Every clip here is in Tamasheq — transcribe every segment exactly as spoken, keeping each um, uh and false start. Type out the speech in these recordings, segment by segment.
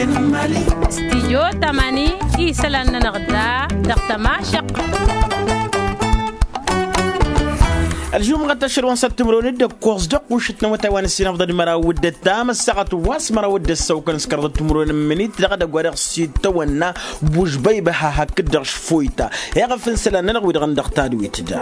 Stijyo tamani isălan-nănăɣ da dăɣ-tămašăqq. Ălžumɣăt ašăl wa n-săt timǝrwen d-ăkkoẓ dăɣ-kušǝt n-awătay wa n-ǝssin afḍăn măraw d-ăttam ăssaɣăt wa s-măraw d-ăssăwkăn s-kărḍăt timǝrwen n-imǝnit dăɣ-edăgg wa dăɣ-s itawănna. Bužbăyba ha hakd-dăɣ šfoyta iɣăf n-isălan-nănăɣ wi-dăɣ n-dăɣ tadwit da.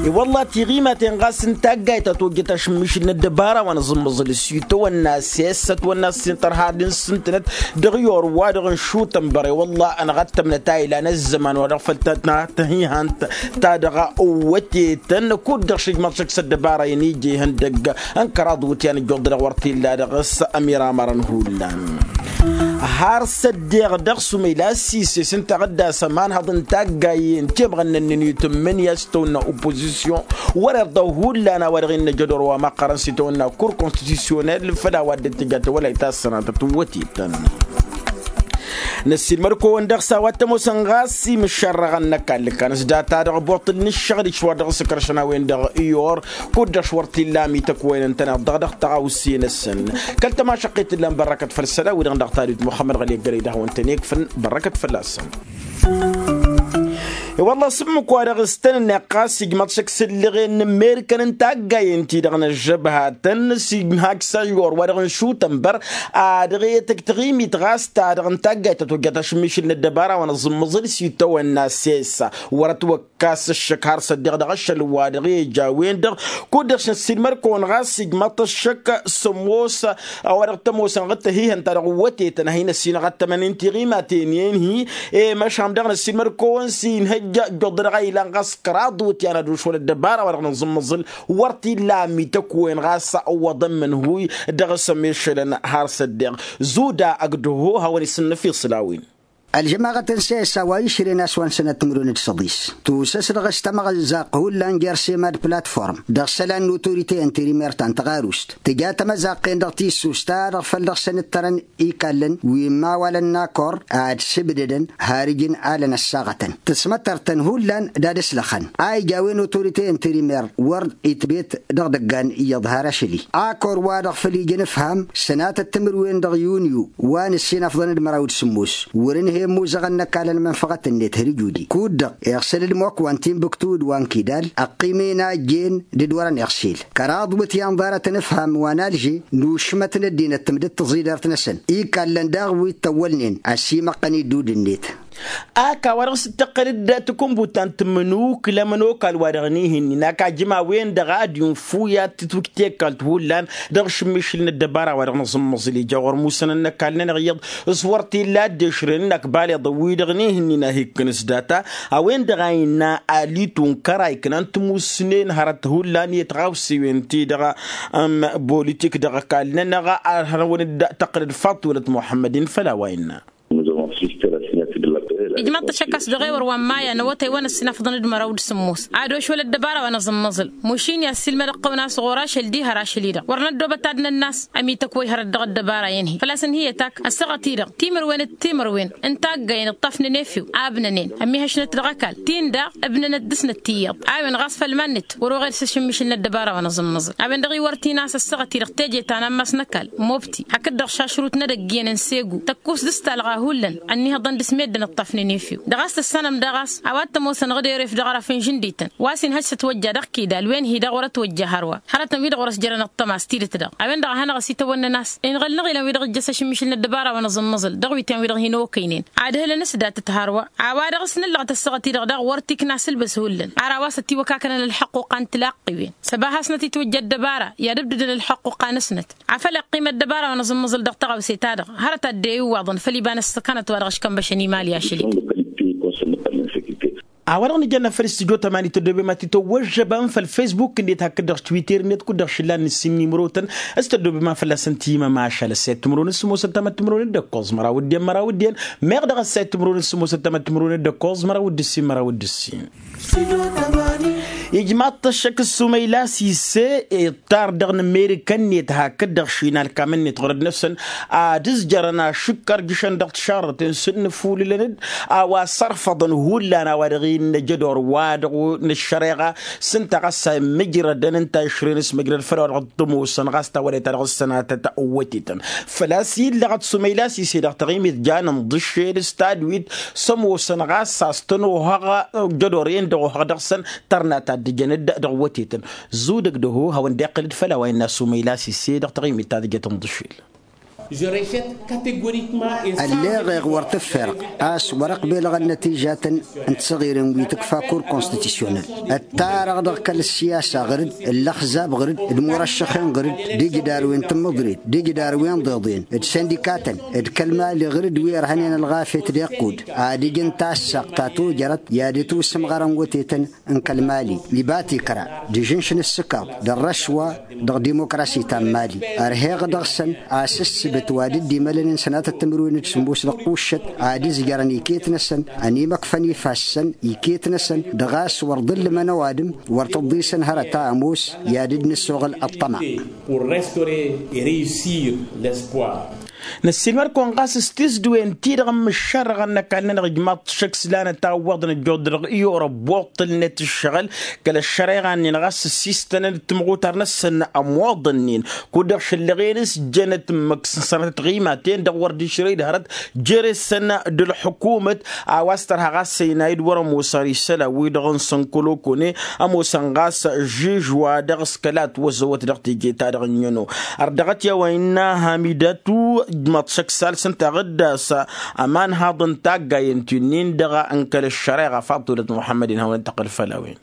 I-wălla tiɣimaten ɣas n-taggayt ta tojjăt ašǝmmišǝl n-ăddăbara wa n-aẓǝmmăẓǝl s-itawănna s-e-s ătwănna s-intărha d-insǝntǝnăt dăɣ-i or-wa-dăɣ n-šutănbăr i-wălla ănɣăttămnăt a ilan ăzzăman wa dăɣ-făl ta tăhihant ta dăɣ-wătetăn kud-dăɣ šǝjmăḍ šăkk s-ăddăbara-in ija ihăndăgg n-kăraḍ wǝtyan ǝjjuḍ-dăɣ wăr t-illa dăɣ-s ămiramărăn hullan. Har s-ăddeɣ dăɣ-sumăyla s-ises ǝnta a ɣǝddas ămanhăḍ n-taggayen temɣănnăn-nǝnit n-imǝnǝya s-tawănna oppozisyon wăr-irḍa hullan a-wa dăɣ-innă jădor wa măqqărăn s-itawănna kur konstitisyonel făll-a-wa dd-tǝjat wăla itassanatăt n-wătetăn. Năssiilmăd-kăwăn dăɣ-s a-wa t-ămoosăn ɣas imǝššărrăɣăn n-ăkall ǝkkan s-data-dăɣ boṭṭǝl n-ǝššăɣǝl išwar dăɣ-s ǝkrăšăn a-wen-dăɣ i-or kud-dăɣ š-wăr t-illa amităk wa inǝntăneḍ dăɣ-dăɣ tăɣawse-năsăn. Kăl-tămašăqqit ǝllan bărrăkăt făll-isălan-wi-dăɣ n-dăɣ tadwit muxămmăd ɣăli ăggălăy d-ad-hawăn-tăn-ikfăn bărrăkăt fălla-săn. I-wălla s-ǝmmǝk-wa-dăɣ s-tăn-ǝnneɣ ɣas ijmăḍ šăkk s-ǝllăɣen n-amerikăn n-taggayen-ti-dăɣ n-ăžžăbhatăn s-ihak s-ajor-wa-dăɣ n-šutănbăr. Ad-dăɣ-e-tăj taɣimit ɣas ta-dăɣ n-taggayt ta tojjăt ašǝmmišǝl n-ăddăbara wa n-aẓǝmmăẓǝl s-itawănna s-e-s wăr-ătwăkkas ǝššăk har s-ăddiɣ dăɣ-ašăl wa dăɣ-e-ija a-wen-dăɣ. Kud-dăɣ s-năssiilmăd-kăwăn ɣas ijmăḍ-t ǝššăk s-ămoos a-wa dăɣ-t-ămoosăn ɣǝd tăhihăn ta dăɣ-wătetăn a hin-ăssinăɣ ăttămăn n-tiɣimaten-en-hi. I-măšan dăɣ-năssiilmăd-kăwăn s-inhăjja ǝjjuḍ-dăɣ a ilan ɣas kăraḍ wǝtyan ad-ošwăl ăddăbara wa dăɣ-nǝẓǝmmăẓǝl. Wăr t-illa amităk-wen ɣas ăwwăḍăn imǝnhuy dăɣ-s ămešălăn har s-ăddeɣ zuda ăgg-dăho hawăn-isǝnnăf iṣlawen. Ălžămaɣăt n-sesa wa išrǝn a-s wa n-sănăt timǝrwen d-săḍis tusǝs dăɣ-s tamăɣǝzzaq hullan jer-sema d-platform dăɣ-isălan n-otorite interimer ta n-tăɣarust tǝja tamăzaqqen dăɣ-tissust ta dăɣ-făl dăɣ-săn ǝttărăn ikallăn wi n-imawalăn n-akor ad-sǝbdădăn har ǝjǝn alăn ăssaɣătăn tǝsmăttăr-tăn hullan d-ad-ăslăxăn a ija a-wen otorite interimer wăr itbet dăɣ-idăggan iyyăḍ har ašăl-i akor wa dăɣ-făl ija ănǝfham sănatăt timǝrwen dăɣ-yunyu wa n-ǝssin afḍăn d-măraw d-sǝmmos wăr-ǝnhăy ămmuzăɣăn n-ăkall ălmănfăɣăt-net hărǝj udi kud-dăɣ iɣsăl d-imokwan timbuktu d-wa n-kidal ăqqim-en a ăjjeen d-dd-wărăn iɣsel kăraḍ wǝtyan ḍarăt ănǝfham wa n-alže n-ušmăt n-ăddinăt tǝmdǝt tǝẓidărt-năsăn ikallăn daɣ wi t-ăwwălnen ăsimăqqăn iddud-net. Ak a-wa dăɣ-s dd-tăqqăl-dd tǝkǝnbut ta n-tǝmmǝnukǝl ămănokal wa dăɣ-nihǝnnin ak ajǝm a-wen-dăɣ ad-infu i-ad-tǝtwǝj tekkalt hullan dăɣ-ašǝmmišǝl n-ăddăbara wa dăɣ-nǝẓǝmmăẓǝl ija ɣur-musănăn n-ăkall-nănăɣ iyyăḍ s-wăr t-illa a dd-ešrăyăn ǝnnak baleḍăn-wi-dăɣ n-ihǝnnin a hi-ikkǝn s-data a-wen-dăɣ a innă alitu n-kăra iknan timusnen hărăt hullan i-tiɣawsiwen ti-dăɣ n-bolitik dăɣ-ăkall-nănăɣ ad-hărăwăn-dd tăqqǝl d-faḍt wălăt muḥămmăd-in făll-a-wa innă. Ijmăḍ-t ašăk a-s dăɣ-ewăr wa n-maya n-awătay wa n-ăssinafḍăn d-măraw d-sǝmmos ad-ošwăl ăddăbara wa n-aẓǝmmăẓǝl mušin i-ad-silmăd ăqqăwăn a-s ɣur-ašăl diha rašăl-i-dăɣ wăr năddoobăt ad-năn-nas ămiităk wa ihărăt dăɣ-ăddăbara-in-hi făl-a-s ǝnhǝyăt ak ăssaɣăt-i-dăɣ timǝrwen d-timǝrwen n-taggayen ǝṭṭafnen efew abnănen ămihăšnăt dăɣ-ăkall tin daɣ ǝbnănăt dăr-snăt tiyyăḍ a-wen ɣas făll-iman-net wăr-oɣed s-ašǝmmišǝl n-ăddăbara wa n-aẓǝmmăẓǝl a-wen-dăɣ iwăr t-in-a-s ăssaɣăt-i-dăɣ teje ta n-ammas n-ăkall mobti hakd-dăɣ šašrut n-edăgg iyyăn n-segu tăkkus d-astalɣa hullan ănnihăḍăn dăr-s meddǝn ǝṭṭafnen efew dăɣ-a-s tăssanăm daɣ a-s a-wa t-ămoosănăɣ d-eref dăɣ-araf n-žǝndităn wa s-inhăj s-ătwăjja dăɣ-kidal wen-hi-dăɣ wăr-ătwăjja hărwa hărătăn wi-dăɣ wăr-ăsjărăn ăṭṭăma s-tidǝt-dăɣ a-wen-dăɣ a hanăɣ-ăsitawănnăn a-s inɣăl n-aɣilan wi-dăɣ ǝjjăs ašǝmmišǝl n-ăddăbara wa n-aẓǝmmăẓǝl dăɣ-wi ten-wi-dăɣ hin-okăynen ad-hǝlăn s-datăt hărwa a-wa dăɣ-s nǝllăɣ tăssăɣăt-i-dăɣ daɣ wăr t-ikna s-ǝlbǝs hullan ar a-wa s-ătiwăkakănăn ălḥăqquqa n-tilaqqiwen săba hasnăt-itwǝjja ăddăbara i-ad-ǝbdǝdăn ălḥăqquqa-năsnăt afăl iqqim ăddăbara wa n-aẓǝmmăẓǝl dăɣ-tăɣawse-ta-dăɣ hărăt ad-dd-e-iwwaḍăn făll-iba n-ăssăkanăt wa dăɣ-ăškănbăšăn imali ašăl-i-dăɣ. A-wa-dăɣ nǝjănna făll-studyo tămani tăddoobem ad-t-tăwwăžžăbăm făll-facebook-net hakd-dăɣ twitter-net kud-dăɣ šǝllan nǝssin n-imrotăn s-tăddoobem a fălla-săn timămašal ăssayăt timǝrwen s-sămoosăn tamăttimǝrwen d-ǝkkoẓ măraw d-en măraw d-en meɣ dăɣ-ăssayăt timǝrwen s-sămoosăn tamăttimǝrwen d-ǝkkoẓ măraw d-ǝssin măraw d-ǝssin. Ijmaḍ-t ăššăk s-sumăyla sise. Tar dăɣ-nǝmmerǝkăn-net hakd-dăɣ šinalkam-net ɣur-dd-năsăn ad-ǝzjărăn ašǝkkăr jǝšăn dăɣ-tišarrăten s-dd-nǝfulǝlăn-dd a-wa sărfăḍăn hullan a-wa dăɣ-innă jădor wa dăɣ-nǝššăreɣa s-ǝnta ɣas a immǝjrădăn ǝnta išrǝyăn s-mǝjrăd făll-a-wa dăɣ-tămoosăn ɣas tawădayt ta dăɣ-s sănatăt. Wătetăn făl-a-s illăɣăt sumăyla sise dăɣ-taɣimit janen ḍǝššel s-tadwit s-ămoosăn ɣas a-s tăn-ohăɣ jădor-en-dăɣ ohăɣ dăɣ-săn tărna ta dd-ǝjăn-dd dăɣ-wătetăn. Zudăg dăho hawăn-dd-iqqǝl-dd făll-a-wa innă sumăyla sise dăɣ-taɣimit ta tǝjăt n-ḍǝššel. Ălleɣeɣ wăr tǝffirăɣ a-s wăr-ăqbelăɣ ănnătijatăn n-tisăɣiren wi tǝkfa kur konstitisyonel ăttarăɣ dăɣ-kăl-ăssiyasa ɣǝr-dd d-ăllăxzab ɣǝr-dd d-imurăššăxen ɣǝr-dd d-ijdarwen n-tǝmmǝḍrit d-ijdarwen d-iḍen d-sindikatăn d-kăl-mali ɣǝr-dd wi ărhănen ălɣafyăt d-iqqud ad-ǝjǝn tassaqt ta tojărăt i-ad-ǝtwǝsǝm ɣărăn wătetăn n-kăl-mali iba tikra d-ižǝnš n-ǝssǝkaḍ d-ărrăšwa dăɣ-dimokrasi ta n-mali. Ărheɣ dăɣ-săn a-s ǝssǝbǝt wa dd-imălănen sănatăt timǝrwen d-sǝmmos dăɣ-kuššăt ad-ǝzjărăn iket-năsăn ănimăkfăn ifassăn iket-năsăn dăɣ-a-s wăr ḍǝllǝmăn ăwadǝm wăr tǝḍḍisăn hărăt a ămoos i-ad-dd-nǝssoɣǝl ăṭṭăma. Năssiilmăr-kăwăn ɣas s-tisdǝwen-ti-dăɣ ǝmmǝššarrăɣăn n-ăkall-nănăɣ ijmaḍ-t šăkk s-lanăt a ǝwwăḍăn ăjjoḍ-dăɣ i-orăbboṭṭǝlnet ǝššăɣǝl kăl-ăššăreɣa-nin ɣas ǝssistănăn d-timɣutar-năsăn ămoḍăn-nin kud-dăɣ šăllăɣen s-jănăt ǝmmǝk s-sănatăt tiɣimaten-dăɣ wăr dd-išrăy d-hărăt jere-săn d-ălḥukumăt a-wa s-tărha ɣas ăynay d-wăr-ămoosăn isălan-wi-dăɣ n-sănkălokone ămoosăn ɣas žiž-wa-dăɣ s-kăla ătwăzăwăt dăɣ-teje-ta-dăɣ n-ino. Ărdăɣăt i-a-wa innă hamidatu ǝjmăḍ šăkk s-alsăn taɣǝdda s-ămanhaḍ n-taggayen ti-nin-dăɣ n-kăl-ăššăreɣa faḍulăt muḥămmăd-in hawăn-dd-tăqqǝl făll-a-wen.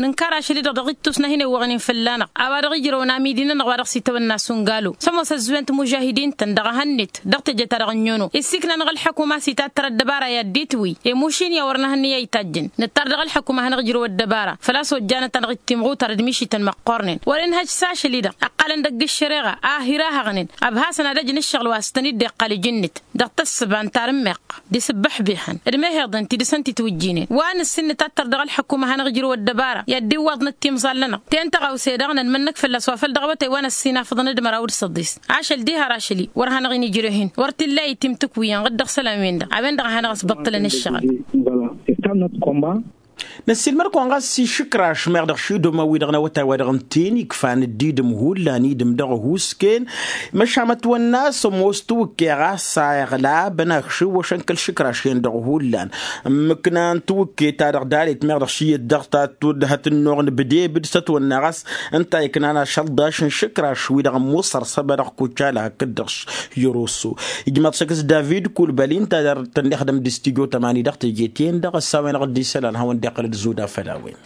Nǝnkăr ašăl-i-dăɣ dăɣ-ittus n-ad-hin-ewwăɣnen fălla-năɣ a-wa dăɣ-ijrăwăn amidi-nănăɣ wa dăɣ-s itawănna s-ungalu s-ămoos ăzzuwen timužahidin-tăn dăɣ-ehănnet dăɣ-teje-ta-dăɣ n-inono issikna-năɣ ălḥăkuma s-itattăr ăddăbara i-ad-dd-itwǝy i-mušin i-a wăr nǝhǝnnǝy a itajen. Nǝttar dăɣ-ălḥăkuma ad-hanăɣ-ijrăw ăddăbara făl-a-s ojjanăt-anăɣ-dd timɣutar d-mišităn măqqornen wăr-inhăj s-ašăl-i-dăɣ ǝqqalăn dăgg-ǝššăreɣa a hirahăɣnen ăbhasăn ad-ăj n-ǝššăɣǝl wa s-tăn-dd-iqqal iji-net dăɣ-tăssǝba n-tarǝmmeɣt d-isǝbbăḥbihăn d-mehheḍen ti dăɣ-săn titwǝjjinen wa nǝssin nǝtattăr dăɣ-ălḥăkuma ad-hanăɣ-ijrăw ăddăbara i-ad-dd-iwwaḍnăt timẓal-nănăɣ. Ten tăɣawse daɣ nănmănnăk fălla-s wa făl dăɣ-awătay wa năssinafăḍăn d-măraw d-săḍis ašăl diha ar ašăl-i wăr hanăɣ-in-ijrăh-in wăr t-illa itimtǝkwǝyăn ɣǝd-dăɣ isălan-wen-dăɣ a-wen-dăɣ a hanăɣ-ăsbăṭṭălăn ǝššăɣǝl. Năssiilmăr-kăwăn ɣas išǝkraš meɣ dăɣ-išidoma-wi-dăɣ n-awătay wa dăɣ-ǝnta-en ikfan dd-idǝm hullan idǝm dăɣ-ăhuusken. Măšan ătwănna a-s ămoos tiwǝkke ɣas a iɣlabăn akšǝwwăšăn kăl-išǝkraš-en-dăɣ hullan ǝmmǝknan tiwǝkke-ta-dăɣ dalet meɣ dăɣ-šiyyăt dăɣ-ta tudd hăt-ănnuɣ n-bǝdebǝd s-ătwănna ɣas ǝnta a iknan ašăldaš n-išǝkraš-wi-dăɣ ămmuṣăr săba dăɣ-kucala hakd-dăɣ s-yăroso. Ijmaḍ šăkk s-david kulbăli ǝnta a dăr-tăn-ixdăm d-istijo tămani dăɣ-teje-ten-dăɣ ăssawen-dăɣ dd-isălan hawăn-dd-iqqăl d-zuda făll-a-wen.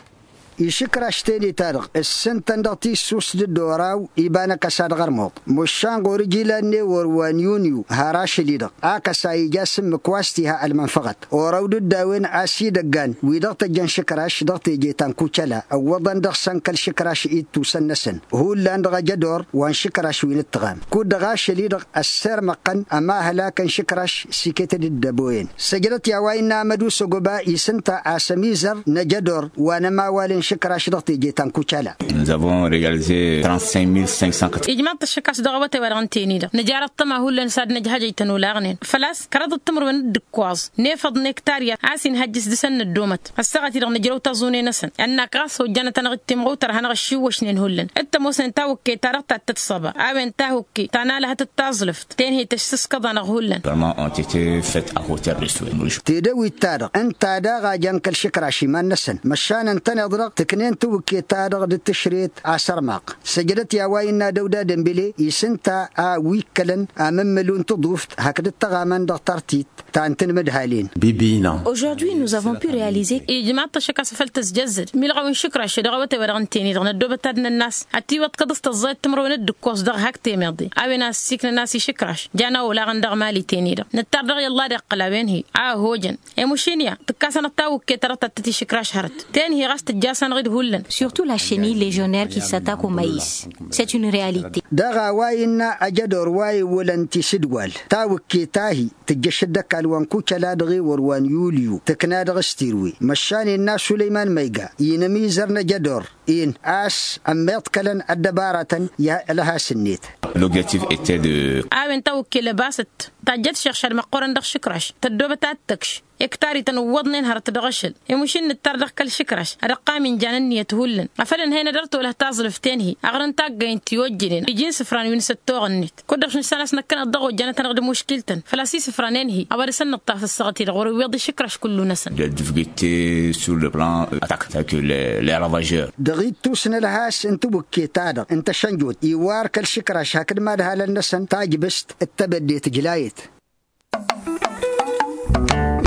Išǝkraš tene-ta-dăɣ ǝssǝntăn dăɣ-tissust d-oraw iba n-akăsa dăɣ-ărmuḍ măšan ɣur-ǝjilan n-ewăr wa n-yunyu har ašăl-i-dăɣ akăsa ija s-ǝmmǝk wa s-tiha ălmănfăɣăt. Oraw d-dd-a-wen a-s idăggan wi dăɣ-tăjjăn išǝkraš dăɣ-teje ta n-kucăla ǝwwăḍăn dăɣ-săn kăl-išǝkraš ittusăn-năsăn hullan dăɣ-ajădor wa n-išǝkraš wi n-ǝttăɣam kud-dăɣ ašăl-i-dăɣ ăssirmăɣ-tăn ămahălak n-išǝkraš s-iket d-ǝddăboyăn. Săjdăt i-a-wa innă amădu s-ogăba isǝnta a-s ămizăr n-ajădor wa n-ămawal n-išǝkraš dăɣ-teje ta n-kucala. Nous avons régalisé trente-cinq mille cinq cent quatre-vingts. Ijmaḍ-t ăššăk a-s dăɣ-awătay wa dăɣ-ǝnten-i-dăɣ nǝja răṭṭăm a hullan s-ad-nǝjhăjăj tănulaɣnen făl-a-s kărăḍăt timǝrwen d-ǝkkoẓ n-efăḍ n-ektarya a-s inhăjjǝs dăɣ-săn năddomăt ăssaɣăt-i-dăɣ nǝjrăw taẓune-năsăn ănnak ɣas ojjanăt-anăɣ-dd timɣutar ad-hanăɣ-ăššiwwăšnen hullan d-tămoosnen tawǝkke-ta-dăɣ tattăt s-ăba a-wen tahukke ta n-alăhăt d-taẓlǝft tenhey tăšsǝskăḍ-anăɣ hullan. Vraiment ont été faites à hauteur de souhait. Tedăwit-ta-dăɣ ǝnta daɣ a jan kăl-išǝkraš iman-năsăn măšan ǝntăneḍ-dăɣ tǝknen tawǝkke-ta-dăɣ d-tǝšret asărmaɣ. Săjdăt i-a-wa innă dăwda dămbile isǝnta a wi ǝkkălăn amǝmmǝlu n-tǝḍuft hakd ǝttăɣamăn dăɣ-tartit ta n-tinmǝdhalen. Aujourd'hui nous avons pu réaliser. Ijmaḍ-t ăššăk a-s făl tăzjăzzăd milɣăw n-išǝkraš dăɣ-awătay wa dăɣ-ǝnten-i-dăɣ năddoobăt ad-nănn'-as ătiwăḍkăḍ s-tăẓẓayăt timǝrwen d-ǝkkoẓ dăɣ-hak temeḍe a-wen a ăssiiknăn a-s išǝkraš. Jan a-olaɣăn dăɣ-mali-ten-i-dăɣ nǝttar dăɣ-i ălla d-iqqăl a-wen-hi a ăhojăn. Emušin ya tǝkkasănăt tawǝkke ta dăɣ-tattăt išǝkraš hărăt ten-hi ɣas tǝjja. ăkk-tanăɣ-dd hullan. Surtout la chenille légionnaire qui s'attaque au maïs. C'est une réalité. Dăɣ-a-wa innă ajădor wa iwwălăn tisǝdwal tawǝkket-ahi tǝjjăš dd-ăkall wa n-kucăla dăɣ-ewăr wa n-yulyu tǝkna dăɣ-s tirwe măšan innă sulăyman măyga inămizăr n-ajădor-in a-s ămmiḍkălăn ăddăbaratăn i-ălhas-net. L'objectif était de. A-wen tawǝkke lăbasăt tajjăt šăɣšad măqqoorăn dăɣ-išǝkraš tăddoobăt ad-tăkš. Ektarităn ǝwwăḍnen hărăt dăɣ-ašăl imuš-in nǝttar dăɣ-kăl-išǝkraš ad-ăqqam injan ǝnniyăt hullan afăl ǝnhăynăt dăr-tolăh taẓlǝft-en-hi aɣrǝn taggăyăn ti ojjănen iji n-isǝfran wi n-săttoɣ-net. Kud-dăɣ š-nǝssan a-s năkkăneḍ dăɣ-ojjanăt-anăɣ d-imuškiltăn făl-a-s isǝfran-en-hi a-wa dăr-săn nǝṭṭaf ǝssăɣăt-i-dăɣ wăr-iwweḍ išǝkraš kullu-năsăn. Des difficultés sur le plan attaque tel que les ravageurs. Dăɣ-ittus n-ălhas n-tawǝkket-ta-dăɣ n-tăšănjot iwar kăl-išǝkraš hakd madhalăn-năsăn tajbǝst d-tebădde tǝjlayăt.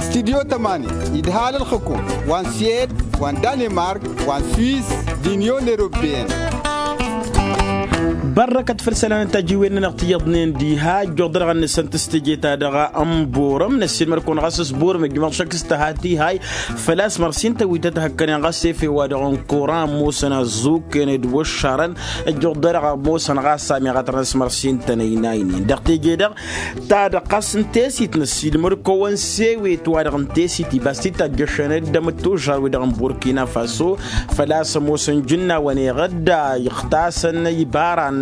Studyo tămani idhal ălxǝkum wa n-siyed wa n-danimark wa n-swis d-inyon eropeyăn. Bărrăkăt făll-isălan n-tajiwen-nănăɣ ti iyyăḍnen diha ăjjoḍ-dăɣ ad-nǝssăn tǝstǝje-ta-dăɣ n-borăm năssiilmăd-kăwăn ɣas s-borăm ijmaḍ šăkk s-tăha tihay. Făl-a-s mărsin tăwităt hăkkănen ɣas efew-wa-dăɣ n-koran ămoosăn ăzzuken d-wăššarăn ăjjoḍ-dăɣ ămoosăn ɣas amiɣatărăn s-mărsin tănăynaynen dăɣ-teje-dăɣ ta dăɣ-ɣas n-tesit năssiilmăd-kăwăn s-ewet-wa-dăɣ n-tesit ibas titajjăšăn d-ămǝttužar-wi-dăɣ n-burkina faso. Făl-a-s ămoosăn jǝnnawăn eɣădda ixtasăn ibaran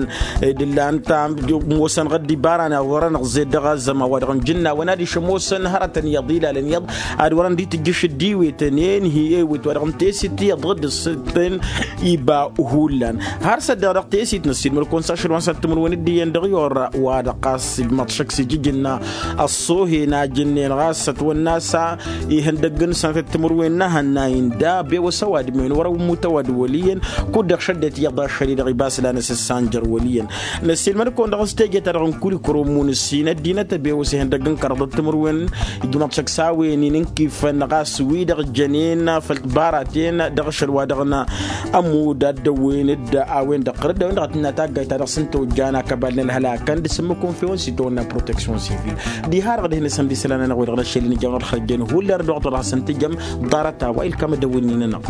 d-ǝllan ta ămoosăn ɣădd ibaran iḍărăn ăɣzed dăɣ-azăman-wa-dăɣ n-jǝnnawăn adiš ămoosăn hărătăn iyyăḍ ilalăn iyyăḍ ad-wărăn d-itǝjjǝš d-iwetăn enhi ewet-wa-dăɣ n-tesit iyyăḍ dd-ǝssǝttăn iba hullan. Har s-ăddeɣ dăɣ-tesit năssiilmăd-kăwăn s-ašăl wa n-săt timǝrwen d-iyyăn dăɣ-i orra wa-dăɣ ɣas ijmăḍ šăkk s-ijǝjǝnna ăṣṣohen a jǝnnen ɣas ătwănna a-s ihăndăgg n-sănătăt timǝrwen n-ahănna inda bewăs ăwadǝm-en wăr-ăwwǝmut ăwadǝm wăl' iyyăn. Kud-dăɣ šăddăt iyyăḍ ašăl-i-dăɣ ibas lanăs ǝssanjăr wăl' iyyăn. Năssiilmăd-kăwăn dăɣ-s teje-ta-dăɣ n-kulikăro n-imun ǝssin ăddinăt ăbewăs ihăndăgg n-kăraḍăt timǝrwen ijmăḍ šăkk s-a-wen-in n-kifăn ɣas wi-dăɣ jănen făll-tibaraten dăɣ-ašăl wa dăɣ-nămud ad-dăwwen-dd a-wen-dăɣ ɣăr-dd a-wen-dăɣ a tǝnna taggayt ta dăɣ-s n-tawǝjjan akăbal n-ălhălakăn d-asǝmmǝk wa n-fewăn s-itawănna proteksyon sivil. Diha-dăɣ d-hin-asǝndisăl-anănăɣ wi-dăɣ n-ašăl-in ija wăr-dd-ălxărjăn hullan ărdăɣ wa t-wăr hasăn-tǝjăm ḍarăt-a-wa ilkam ăddăwwǝnnin-anăɣ.